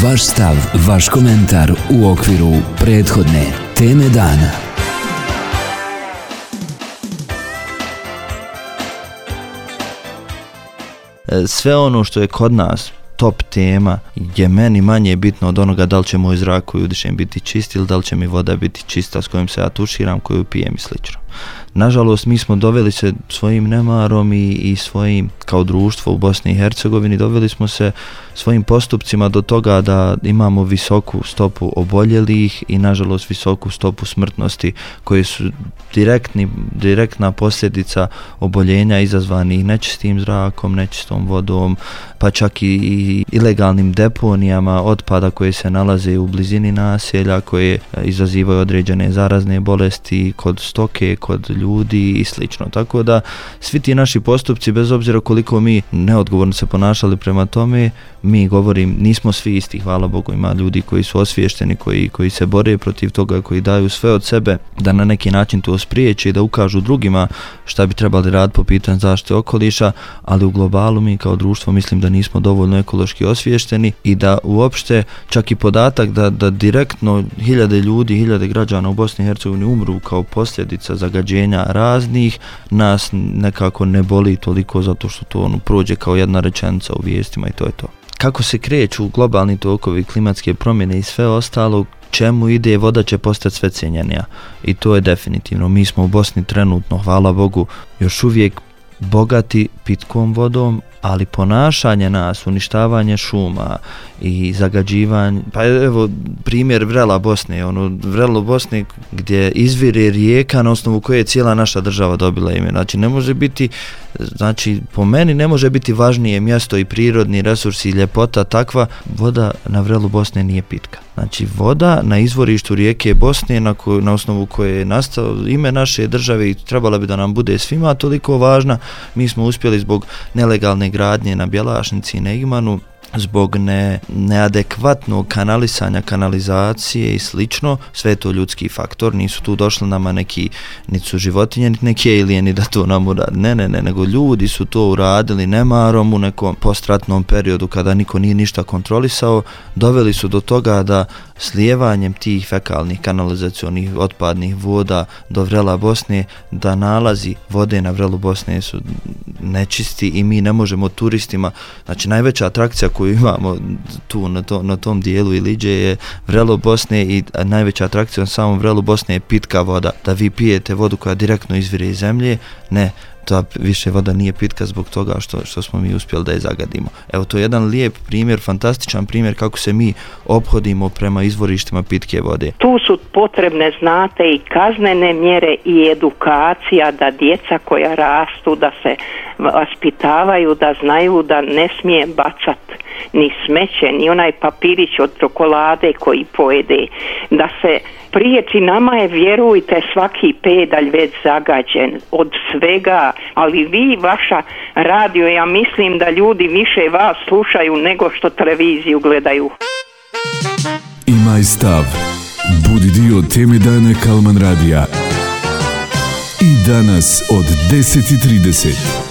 Vaš stav, vaš komentar u okviru prethodne teme dana. Sve ono što je kod nas top tema je meni manje bitno od onoga da li će moj zrak koji udišem biti čist ili da li će mi voda biti čista s kojom se ja tuširam, koju pijem i slično. Nažalost, mi smo doveli se svojim nemarom i svojim, kao društvo u Bosni i Hercegovini, doveli smo se svojim postupcima do toga da imamo visoku stopu oboljelih i nažalost visoku stopu smrtnosti koje su direktna posljedica oboljenja izazvanih nečistim zrakom, nečistom vodom, pa čak i ilegalnim deponijama otpada koje se nalaze u blizini naselja, koje izazivaju određene zarazne bolesti kod stoke, kod ljudi i slično. Tako da svi ti naši postupci, bez obzira koliko mi neodgovorno se ponašali prema tome, mi govorim, nismo svi isti, hvala Bogu, ima ljudi koji su osviješteni, koji se bore protiv toga, koji daju sve od sebe da na neki način to spriječe i da ukažu drugima šta bi trebali raditi po pitanju zaštite okoliša, ali u globalu mi kao društvo mislim da nismo dovoljno ekološki osviješteni i da uopšte čak i podatak da direktno hiljade ljudi, hiljade građana u Bosni i Hercegovini umru kao posljedica zagađenja raznih, nas nekako ne boli toliko zato što to prođe kao jedna rečenica u vijestima i to je to. Kako se kreću globalni tokovi, klimatske promjene i sve ostalo, čemu ide, voda će postati sve cijenjenija i to je definitivno. Mi smo u Bosni trenutno, hvala Bogu, još uvijek bogati pitkom vodom, ali ponašanje nas, uništavanje šuma i zagađivanje, pa evo primjer Vrela Bosne, Vrelo Bosne gdje izvire rijeka na osnovu koje je cijela naša država dobila ime. Znači ne može biti, po meni ne može biti važnije mjesto i prirodni resursi i ljepota takva, voda na Vrelu Bosne nije pitka. Znači voda na izvorištu rijeke Bosne na osnovu koje je nastalo ime naše države i trebala bi da nam bude svima toliko važna, mi smo uspjeli zbog nelegalne gradnje na Bjelašnici i Negimanu, zbog neadekvatnog kanalisanja, kanalizacije i slično, sve je to ljudski faktor, nisu tu došli nama niti su životinje, niti neki alijeni da to nam uradi, ne, nego ljudi su to uradili nemarom u nekom postratnom periodu kada niko nije ništa kontrolisao, doveli su do toga da slijevanjem tih fekalnih kanalizacionih otpadnih voda do Vrela Bosne, da nalazi vode na Vrelu Bosne su nečisti i mi ne možemo turistima, znači najveća atrakcija koju imamo tu na tom dijelu Iliđe je Vrelo Bosne i najveća atrakcija na samom Vrelu Bosne je pitka voda, da vi pijete vodu koja direktno izvire iz zemlje, ne, ta više voda nije pitka zbog toga što smo mi uspjeli da je zagadimo. Evo, to je jedan lijep primjer, fantastičan primjer kako se mi ophodimo prema izvorištima pitke vode. Tu su potrebne, znate, i kaznene mjere i edukacija da djeca koja rastu, da se vaspitavaju, da znaju da ne smije bacati ni smeće, ni onaj papirić od čokolade koji pojede, da se priječi. Nama je, vjerujte, svaki pedalj već zagađen od svega, ali vi, vaša radio, ja mislim da ljudi više vas slušaju nego što televiziju gledaju. Imaj stav. Budi dio teme dana Kalman radija. I danas od 10:30.